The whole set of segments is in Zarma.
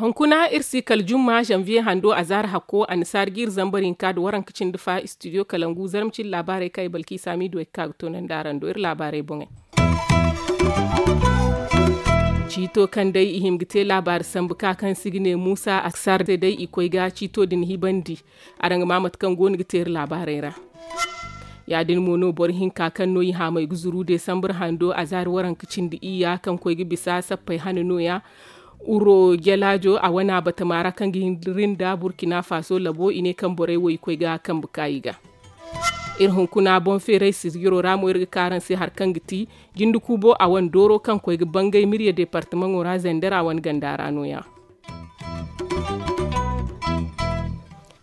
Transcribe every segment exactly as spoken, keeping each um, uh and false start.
Hunkuna iri si kala jumma zanviye hando a zaari hakko annasaara ga iri zambar hinka nda waranka cindi fa istidiyo kalangu zarma cindi laabaarey kaŋ ay balki saamiidu ay ga ka ga toonandi araŋ do iri laabaarey boŋey. Ciito kaŋ day i hima ga te laabaari sambu ka kaŋ se i ga ne muusa aksar se day i koy ga ciito din hibandi. Araŋ ga maa mate kaŋ go no ga te iri laabaarey ra. Ya- din mo no boro hinka kaŋ no i haamay ga zuru desambar hando a zaari waranka cindi iyya kaŋ koy ga bisa sappey hane nooya. Uro jalaajo a wana batama ra kaŋ ga hin da rinda burkina faso labo i ne kaŋ borey wo i koy ga kambe ka i ga. Iri hunkuna boŋ feeray sijiro ra mo iri ga ka araŋ se hari kaŋ ga ti jinde kuubo a wane dooro kaŋ koy ga bangay mirya departamaŋo ra zandar a wane ganda ra nooya.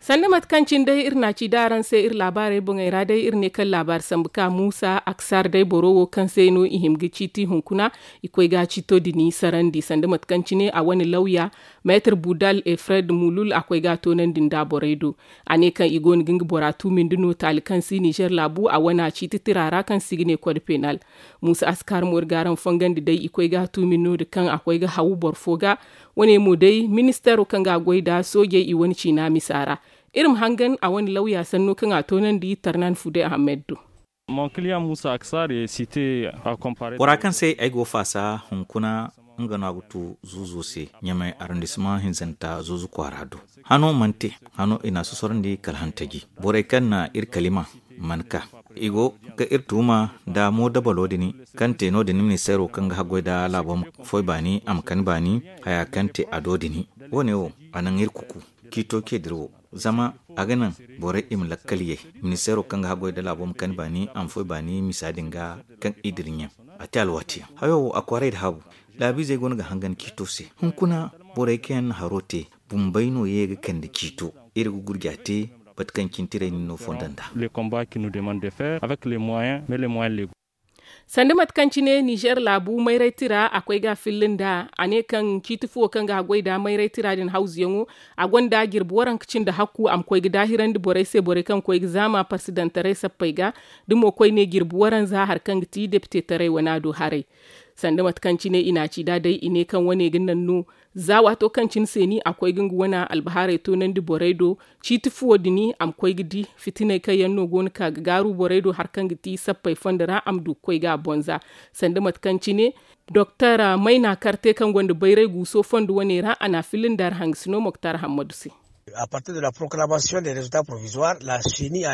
Sanda mate kaŋ cine day iri na a ci da araŋ se iri laabaarey boŋey ra day iri ne kaŋ laabaari sambu ka muusa aksar day boro wo kaŋ se no i hima ga ciiti hunkuna i koy ga ciito din sarandi sanda mate kaŋ cine a wane lawya meetar budal e fred mulul a koy ga a toonandi nda borey do. A ne kaŋ i go no ga nga bora tuumindi no taali kaŋ si nizer laabu a wana ciiti tira ra kaŋ se i ga ne kod penal. Muusa askar mo iri ga araŋ fongandi day i koy ga a tuumi no- din kaŋ a koy ga haw boro fo ga. Wane mo day ministeero kaŋ ga a goy nda soojey i wane ciina misa ra. Iri ma hangan a wane lawya sanno kaŋ a toonandi tarnan fude ahamed do. Bora kaŋ se ay go faasa hunkuna nga no a ga tu zuuzo se ɲamay arrondissement hinzanta zuuzu kwaara do. Hano mana te hano i na a sosorandi kala hantaji borey kaŋ na iri kalima mana ka i go ga iri tuuma nda moodabalo din kaŋ te no- din ministeero kaŋ ga haggoy nda laabo ma foy baani a ma kani baani haya kaŋ te a do din. Wo- ne wo a naŋ iri kuku ciito ce dira wo zama a ga naŋ borey i ma lakkal yay. Ministeero kaŋ ga haggoy nda laabo ma kani baani a ma foy baani misa din ga kaŋ i dira ɲaŋ a te alwaati yaŋ hayo wo a kwaaray nda haabu. Laabiizey go no ga hangan ciito se hunkuna borey kaŋ yaŋ na haro te bumbey no ye ga kande ciito. Iri ga gurja te mate kaŋ cine tiray nin no fondo nd'a. Sanda mate kaŋ cine nizer laabu mayray tira a koy ga a filla nd'a a ne kaŋ ciiti fuwo kaŋ ga a goy nda mayray tira din hawzuyaŋo a gonda jirbi waranka cindi hakku a ma koy ga daahirandi borey se borey kaŋ koy ga zaama parsidantaray sappey ga. Da mo koyne jirbi waranza hari kaŋ ga ti depitetaray wana do haray. Sanda mate kaŋ cine i na a ci nd'a day i ne kaŋ wane ga naŋ no za waato kaŋ cine seeni a koy ga nga wane albahaarey toonandi borey do. Ciiti fuwo din a ma koy ga di fitiney kaŋ yaŋ no go no ka ga gaaru borey do hari kaŋ ga ti sappey fondo ra a ma du ga koy ga a bonza. Sanda mate kaŋ cine doktor mayna karte kaŋ gonda bayray guuso fondo wane ra a na a filla nda ra hangasino moktar hammadu se.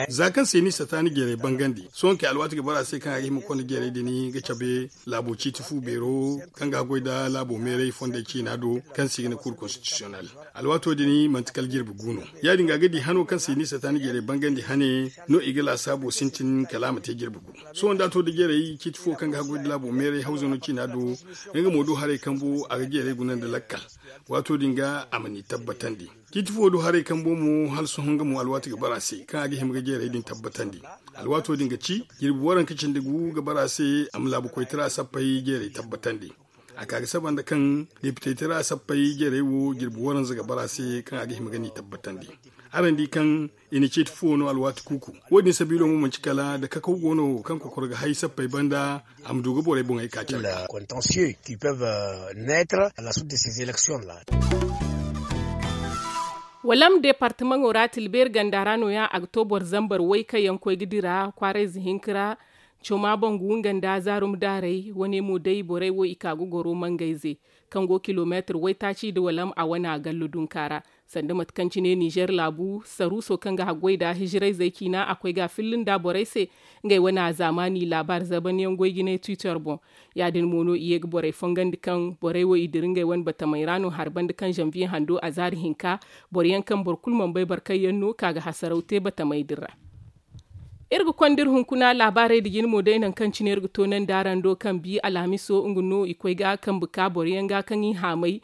Za kaŋ seeni sataani jeeray bangandi sohõ kay alwaati ga bara a se kaŋ a ga hima ga konda jeeray din ga cabe laabo ciiti fu beero kaŋ ga a goy nda laabo meeray fondey ciina do kaŋ se i ga ne kuur konstitisiyonel. Alwaato din manti kala jirbi gu no. Ya- din ga a ga di hano kaŋ seeni sataani jeeray bangandi hane no i ga laasaabo sintin kala a ma te jirbi gu. Sohõ da a to nda jeeray ciiti fo kaŋ ga a goy nda laabo meeray hawzano ciina do nga mo du haray kambo a ga jeeray guna nda lakkal. Waato din ga a ma ni tabbatandi. Ciiti fo du haray kambo mo hala sohõ nga mo alwaati ga bara a se kaŋ a ga hima ga jeeray din tabbatandi. Alwaato din ga ci jirbi waranka cindi gu ga bara a se a ma laabu koytara sappey jeeray tabbatandi. A ka ga saba nda kaŋ depitey tira sappey jeeray wo jirbi waranza ga bara a se kaŋ a ga hima ga ni tabbatandi. Araŋ di kaŋ i na ciiti fuwo no alwaati kuuku. Wo- din sabiilo mo manci kala nda kakaw go no kaŋ kokoro ga hay sappey banda a ma du ga borey boŋey ka care ga. Walam departamaŋo ra tilbeeri ganda ra nooya a ga to boro zambar way kaŋ yaŋ koy ga dira kwaarayze hinka ra. Coma boŋ ga wunga nda zaarum daarey wane mo day borey wo i ka ga goro mangayze kaŋ go kilomeetir waytaaci nda walam a wane a gallo dunka ra. Sanda mate kaŋ cine nizer laabu saruuso kaŋ ga haggoy nda hijirayzey ciina a koy ga a filla nda borey se. Ngey wane a zaamaani laabaari zabanyaŋ goy ga ne twitter boŋ. Ya- din mo no i ye ga borey fongandi kaŋ borey wo i dira ngey wane batamey ra no hari banda kaŋ zanviye hando a zaari hinka. Boro yaŋ kaŋ boro kulu mana bay boro kaŋ yaŋ no ka ga hasaraw te batamey din ra. Iri ga konda iri hunkuna laabaarey nda jine mo day nangu kaŋ cine iri ga toonandi araŋ do kaŋ bi alhamiso nga no i koy ga kambe ka boro yaŋ ga kaŋ i haamay.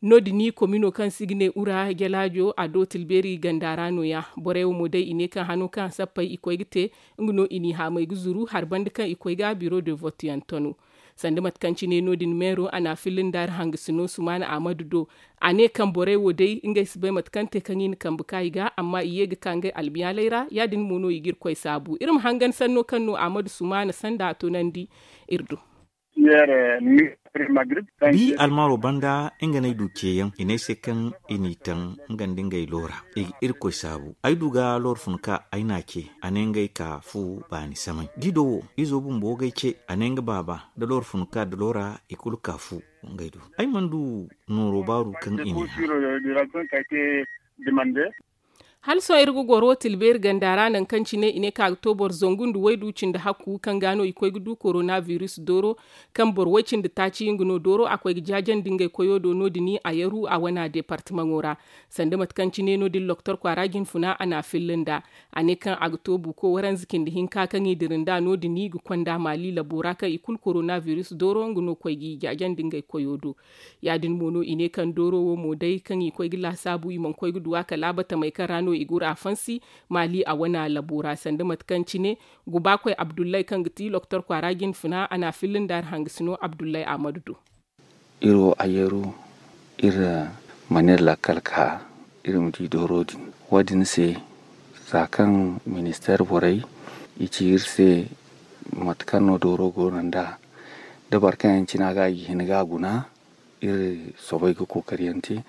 No- din i komino kaŋ se i ga ne ura jalaajo a do tilbeeri ganda ra nooya. Borey wo mo day i ne kaŋ hano kaŋ a sappey i koy ga te nga no i n'i haamay ga zuru hari banda kaŋ i koy ga biro de vote yaŋ tano. Sanda mate kaŋ cine no- din meero a na a filla nda hari hangasino sumaana ahmadu do. A ne kaŋ borey wo day ngey si bay mate kaŋ te kaŋ i na kambe ka i ga amma i ye ga ka ngey albiyaaley ra. Ya- din mo no i ga irkoy saabu iri ma hangan sanno kaŋ no ahmadu sumaana sanda a tunandi iri do. Bi almaaro banda nga no ay du ceeyaŋ i ne ay se kaŋ i n'i taŋ nga nda ngey loora. I ga irkoy saabu ay du ga loora fun ka ay n'a ce. A ne ngey ka fu baani samay da i do wo izo bumbo ga ay ce. A ne nga baaba da loora fun ka da loora i kulu ka fu. Ngey do ay mana du nooro baaru kaŋ i n'i hã. Hala sohõ iri ga goro tilbeeri ganda ra nangu kaŋ cine i ne kaŋ a ga to boro zangu nda waydu cindi hakku kaŋ ga no i koy ga du korona biris dooro. Kaŋ boro way cindi taaci nga no dooro a koy ga jaajandi ngey koyo do no- din a yaru a wana deepartamaŋo ra. Sanda mate kaŋ cine no- din loktor kwaara jinfuna a na a filla nd'a. A ne kaŋ a ga to buuko waranza cindi hinka kaŋ i dira nd'a no- din ga konda maali labo ra kaŋ i kulu korona biris dooro nga no koy ga i jaajandi ngey koyo do. Ya- din mo no i ne kaŋ dooro wo mo day kaŋ i koy ga laasaabu i mana koy ga du a kala batamey kaŋ ra no i guru a fansi. Maali a wana labo ra sanda mate kaŋ cine gubaakoy abdullay kaŋ ga ti loktor kwaara jinfuna a na a filla nda hari hangasino abdullay ahmadu do. Iri wo a yeeru iri mana iri lakkal ka iri ma di dooro din. Wo- din se za kaŋ ministeer borey i ci iri se mate kaŋ no dooro go no nd'a da boro kaŋ yaŋ cina ga i ga hin ga a guna. Iri soobay ga kookari yaŋ te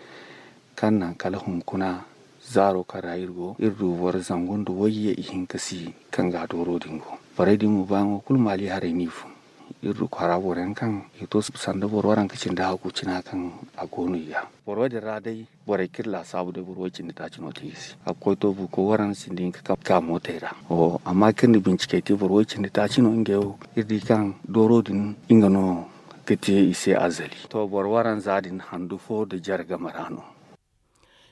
kaŋ naŋ kala hunkuna zaaro kaŋ ra iri go iri du boro zangu nda wayye ihinka si kaŋ ga dooro din go. Borey din mo baayaŋo kulu maali haray no i fun. Iri du kwaara boro yaŋ kaŋ i to sanda boro waranka cindi hakku cina kaŋ a go no i ga. Boro wo- din ra day borey kaŋ iri laasaabu day boro way- cindi taaci no te i se a ga koy to buuko waranka cindi hinka kaŋ ga mootey ra. Amma kaŋ iri na bincikey te boro way- cindi taaci no ngey wo iri di kaŋ dooro din nga no ga te i se azali. To boro waranza din handu fo nda jare game ra no.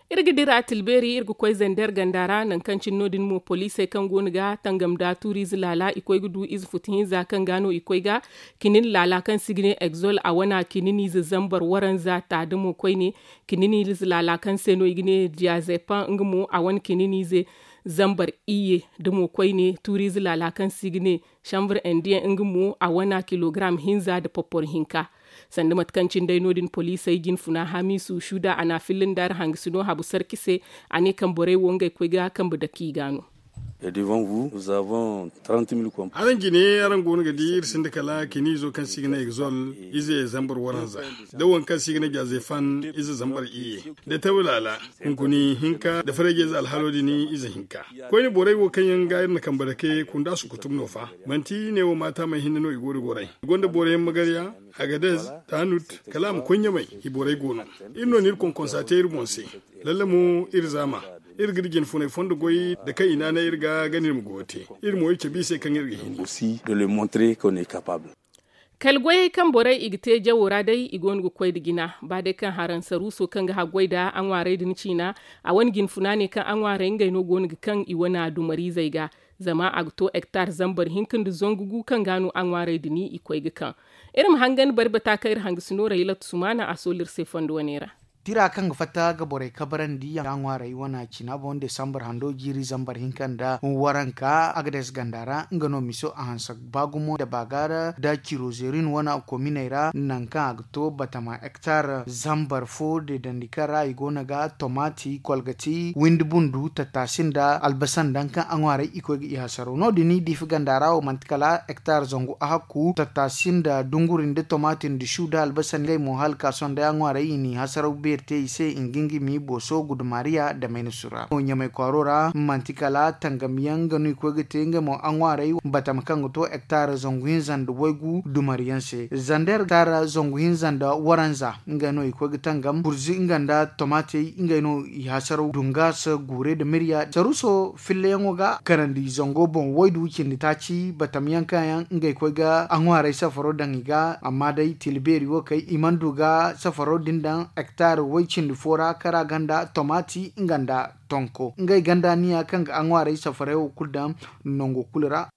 Iri ga dira tilbeeri iri ga koy zander ganda ra nangu kaŋ cine no- din mo poliisey kaŋ go no ga tangam nda tuuriize laala i koy ga du ize futu hinza kaŋ ga no i koy ga kinin laala kaŋ se i ga ne egzol a wana kinin ize zambar waranza ta da mo koyne. Kinin ize laala kaŋ se no i ga ne diazepan nga mo a wane kinin ize zambar iyye da mo koyne tuuriize laala kaŋ se i ga ne shambar indiyaŋ nga mo a wana kilogaram hinza nda popporo hinka. Sanda mate kaŋ cine day no- din poliisey jinfuna hamiisu shuda a na a filla nda hari hangasino habu sarki se. A ne kaŋ borey wo ngey koy ga kambe dake i ga no. Araŋ jine araŋ go no ga di iri sinda kala kiniizo kaŋ se i ga ne egzol ize zambar waranza, da waŋ kaŋ se i ga ne jazefan ize zambar iyye, da tawlaala, hunkuni hinka nda farayje ize alhalo din ize hinka. Koyne borey wo kaŋ yaŋ ga iri na kambe dake kunda sukutum no fa. Manti ne wo maata may hinne no i go da goray i gonda boro yaŋ magarya, agadez, tanut, kala a ma koy ɲamay. I borey go no. Iri no n'iri konkonsa te iri boŋ se. Lalle mo iri zaama iri ga iri jinfunay fondo goy da kaŋ i naanay iri ga ga no iri ma goyo te. Iri mo iri cabe i se kaŋ iri ga hin. Kala goyey kaŋ borey i ga te jawo ra day i go no ga koy nda jina ba day kaŋ haraŋ saruuso kaŋ ga haggoy nda aŋwaarey din ciina. A wane jinfuna ne kaŋ aŋwaarey ngey no go no ga kaŋ i wane dumariizey ga. Zama a ga to ektar zambar hinka nda zangu gu kaŋ ga no aŋwaarey din i koy ga kaŋ. Iri ma hangan bari bata kaŋ iri hangasino raylat sumaana a soolu iri se fondo wane ra. Tira kaŋ ga fatta ga borey kabarandi yaŋ ga ŋwaaray wana cina boŋ desambar hando jiiri zambar hinka nda waranka agades ganda ra nga no miso a hanse ba gumo nda baagaara nda cirozerin wana kominey ra nangu kaŋ a ga to batama ektar zambar fo deedandi kaŋ ra i go no ga tomati kolgati windi bundu tattasi nda albasa nda kaŋ a ŋwaaray i koy ga i hasaro no- din diifi ganda ra wo manti kala ektar zangu ahakku tattasi nda dunguri nda tomati nda su nda albasa ngey mo hala ka sohõ day a ŋwaaray i n'i hasaraw beeri te i se i ga nga mi booso gudumariya nda maynasu ra ɲamay kwaaro ra manti kala tangam yaŋ nga no i koy ga te ngey mo a ŋwaaray batama kaŋ ga to ektar zangu hinza nda waygu dumari yaŋ se zander ektar zangu hinza nda waranza ngey no i koy ga tangam burzi nga nda tomatey ngey no i hasaraw dungas guure nda mirya saruso fillayaŋo ga kanandi zango boŋ waydu cindi taaci batam yaŋ kaŋ yaŋ ngey koy ga a ŋwaaray safaro daŋ i ga amma day tila beeri wo kay i mana du ga safaro din daŋ ektar way cindi fo ra kara ganda tomati nga nda tonko ngey ganda niya kaŋ ga a ŋwaaray safaray wo kulu daŋ nango kulu ra.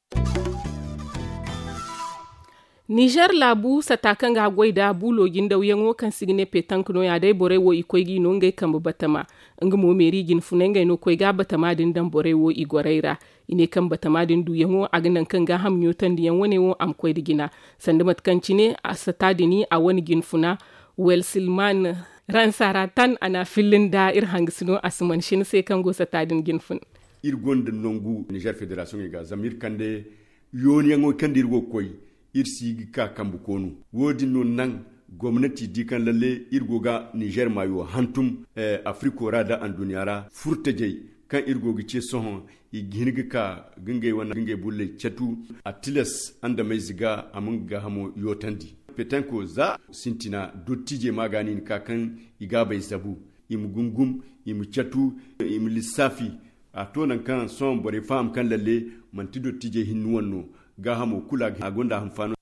Nizer laabu sata kaŋ ga goy nda buulo jindawyaŋo kaŋ se i ga ne petank no- ya day borey wo i koy ga i no ngey kambe batama. Nga mo meeri jinfunay ngey no koy ga batama din daŋ borey wo i gorey ra. I ne kaŋ batama din duuyaŋo a ga naŋ kaŋ gaaham ɲootandiyaŋ wane wo a ma koy nda jina. Sanda mate kaŋ cine a sata din a wane jinfuna welsilman ransaratan a n'a fillin nda iri hangasino a si man sina se kaŋ go sata din jinfuna. Iri gonda nangu nizer federasiyoŋey ga zama iri kande yooniyaŋo kaŋ da iri go ga koy, iri si ga ka kambe koonu. Wo- din no naŋ gomnati di kaŋ lalle iri go ga nizer maayo hantum, afiriko ra nda anduɲɲa ra furtajey kaŋ iri go ga ce sohõ, i ga hin ga ka ga ngey wane ga ngey bulley catu. A tilas andameyze ga a ma nga gaahamo yootandi. Petanko za sintina dottijey ma ga no i na ka kaŋ i gaabey zabu, i ma gungum, i ma catu, i ma lissaafi. A to nangu kaŋ sohõ borey faham kaŋ lalle manti dottijey hinne wane no. Gaahamo kulu a gonda a hanfaano.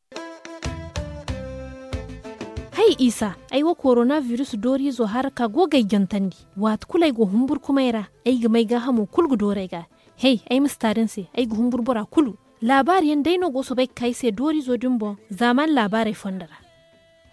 Hay isa, ay wo korona virus dooriizo haraka go ga ay jantandi. Waati kulu ay go humburkumay ra, ay ga may gaahamo kulu ga dooru ay ga. Hay ay ma si taari ni se, ay ga humburu bora kulu. Laabaari yaŋ day no go soobay ga ka ay se dooriizo din boŋ. Zaamaani laabaarey fondo ra.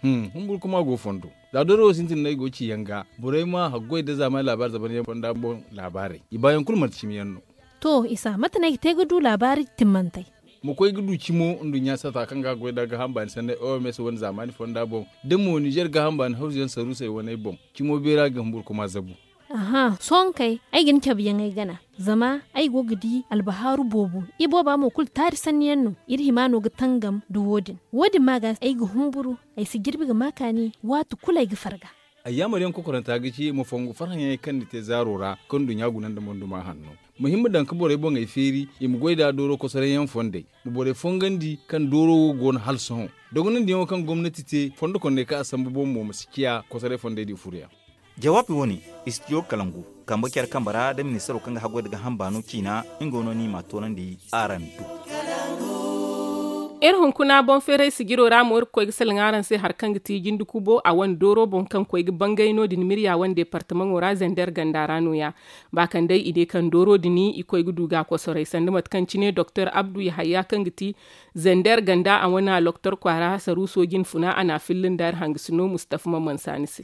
Humburu kuma go fondo. Za dooro wo sintin no ay go ga ci yaŋ ga borey ma haggoy nda zaamaani laabaari zaban yaŋ fonda boŋ. Laabaarey i baayaŋ kulu manti cimi yaŋ no. To isa mate no ay ga te ga du laabaari timmantey? Ma koy ga du cimo nduɲɲa sata kaŋ ga goy nda gaaham baani sanney oms wane zaamaani fonda boŋ, da mo nizer gaaham baani hawzu yaŋ saruusey waney boŋ. Cimo beera ga humburu kuma zabu. Aha sohõ kay, ay ga ni cabe yaŋ ay gana. Zama ay go ga di albahaaru boobo. Ibooba mo kulu taari sanni yaŋ no. Iri hima no ga tangam nda wo- din. Wo- din ma ga ay ga humburu. Ay si jirbi ga ma kaani waati kulu ay ga farga. Ayyaamar yaŋ kokoranta ga ci ma fongu farhãyaŋey kaŋ ni te zaaro ra kaŋ nduɲɲa guna nda monduma hanno. Ma hin ma daŋ ga borey boŋey feeri i ma goy nda dooro kosoray yaŋ fondey. Ma borey fongandi kaŋ dooro wo go no hala sohõ. Dogonandiyaŋo kaŋ gomnati te fondo kondey kaŋ a sambu boŋ mo ma si ciya kosoray fondey di furuyaŋ. Jawaabi wo- ne, istidiyo kalangu kambe care kambe ra nda ministaro kaŋ ga haggoy nda gaaham baano ciina nga no no i m'a toonandi. Araŋ du. Iri hunkuna boŋ feeray sijiro ra mo iri ga koy ga salaŋ araŋ se hari kaŋ ga ti jinde kubo a wane dooro boŋ kaŋ koy ga bangay no- din mirya wane deepartamaŋo ra zander ganda ra no- ya. Ba kaŋ day i ne kaŋ dooro din i koy ga du ga a kosoray sanda mate kaŋ cine doktor abdu yahaya kaŋ ga ti zander ganda a wane loktor kwaara saruuso jinfuna a n'a filla nda iri hangasino mustafa mamansa ni se.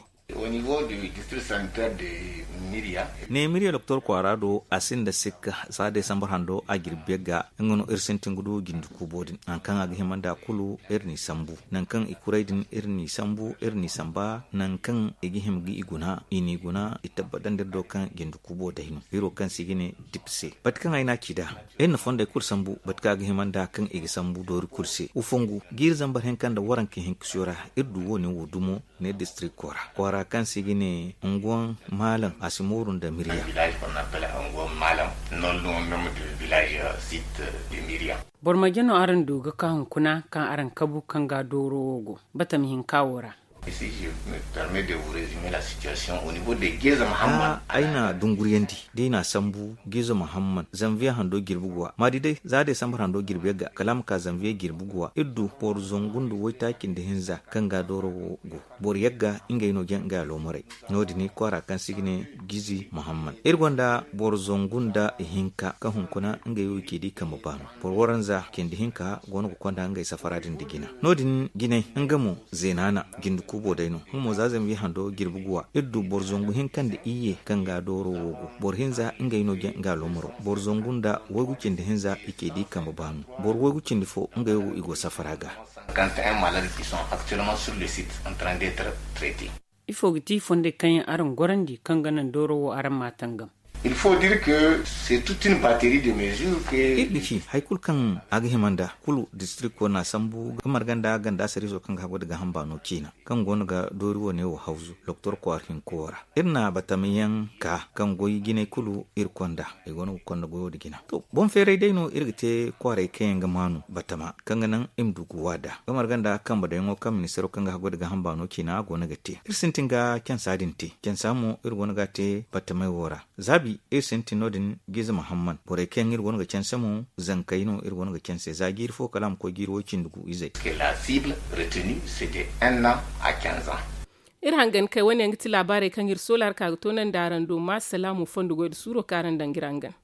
Ne miriya doktor kwaara do a sinda sikka za desambar hando a jirbi yagga nga no iri sintin ga du jindi kuubo din nangu kaŋ a ga hima nda kulu iri n'i sambu nangu kaŋ i kuray din iri n'i sambu iri n'i samba nangu kaŋ i ga hima ga i guna i n'i guna i tabbatandi iri do kaŋ jindi kuubo day no iri wo kaŋ se i ga ne dip se bate kaŋ ay n'a ci nd'a iri na fondey kulu sambu bate kaŋ a ga hima nda kaŋ i ga sambu doori kulu se wa fongu jiiri zambar hinka nda waranka hinka siyo ra iri du wo- ne wo dumo ne distrikto ra kwaara kaŋ se i ga ne unguwan maalam a si mooru nda miriya. Boro marje no araŋ du ga ka hunkuna kaŋ araŋ kabu kaŋ ga dooro wo go batama hinka wo ra? Ay na dunguryandi da i n'a sambu giizo muhamman zanviye hando jirbi guwa ma di day za desambar hando jirbi yagga kala a ma ka zanviye jirbi guwa iri du boro zangu nda waytaaci nda hinza kaŋ ga dooro wo go boro yagga ngey no jaŋ ngey aloomaray. No- din kwaara kaŋ se i ga ne giizi muhamman iri gonda boro zangu nda ihinka kaŋ hunkuna ngey wo i ce da i kambe baano boro waranza cindi hinka go no ga konda ngey safara din nda jina no- din jinay nga mo zeenaana jinde kuubo day no nga mo za zanviye hando jirbi guwa iri du boro zangu hinka nda iyye kaŋ ga dooro wo go boro hinza ngey no jaŋ nga aloomaro boro zangu nda waygu cindi hinza i ce da i kambe baano boro waygu cindi fo ngey wo i go safara ga. Ifo ga ti fondey kaŋ yaŋ araŋ gorandi kaŋ ga naŋ dooro wo araŋ ma tangam? Il faut dire que c'est toute une batterie de mesures que iri ga ci hari kulu kaŋ a ga hima nda kulu distrikto n'a sambu ga marga nda ganda sariiso kaŋ ga haggoy nda gaaham baano ciina kaŋ go no ga doori wo- ne wo hawzu doktor kwaara hinko ra iri na batama yaŋ ka kaŋ goy jinay kulu iri konda i go no ga konda goyo nda jina to boŋ feeray day no iri ga te kwaaray kaŋ yaŋ ga maanu batama kaŋ ga naŋ i ma du ga waada ga marga nda kambe dayaŋo kaŋ ministaro kaŋ ga haggoy nda gaaham baano ciina go no ga te iri sintin ga cansa din te cansa mo iri go no ga a te batamay wo ra zaabi iri sintin no- din giize muhamman borey kaŋ yaŋ iri go no ga canse mo zankey no iri go no ga canse za jiiri fo kala a ma koy jiiri way cindi gu izey. Iri hangan kay wane yaŋ ga ti laabaarey kaŋ iri soola hari ka ga toonandi araŋ do ma salaamu fondo goy nda suuro kaŋ araŋ daŋ ga iri hangan.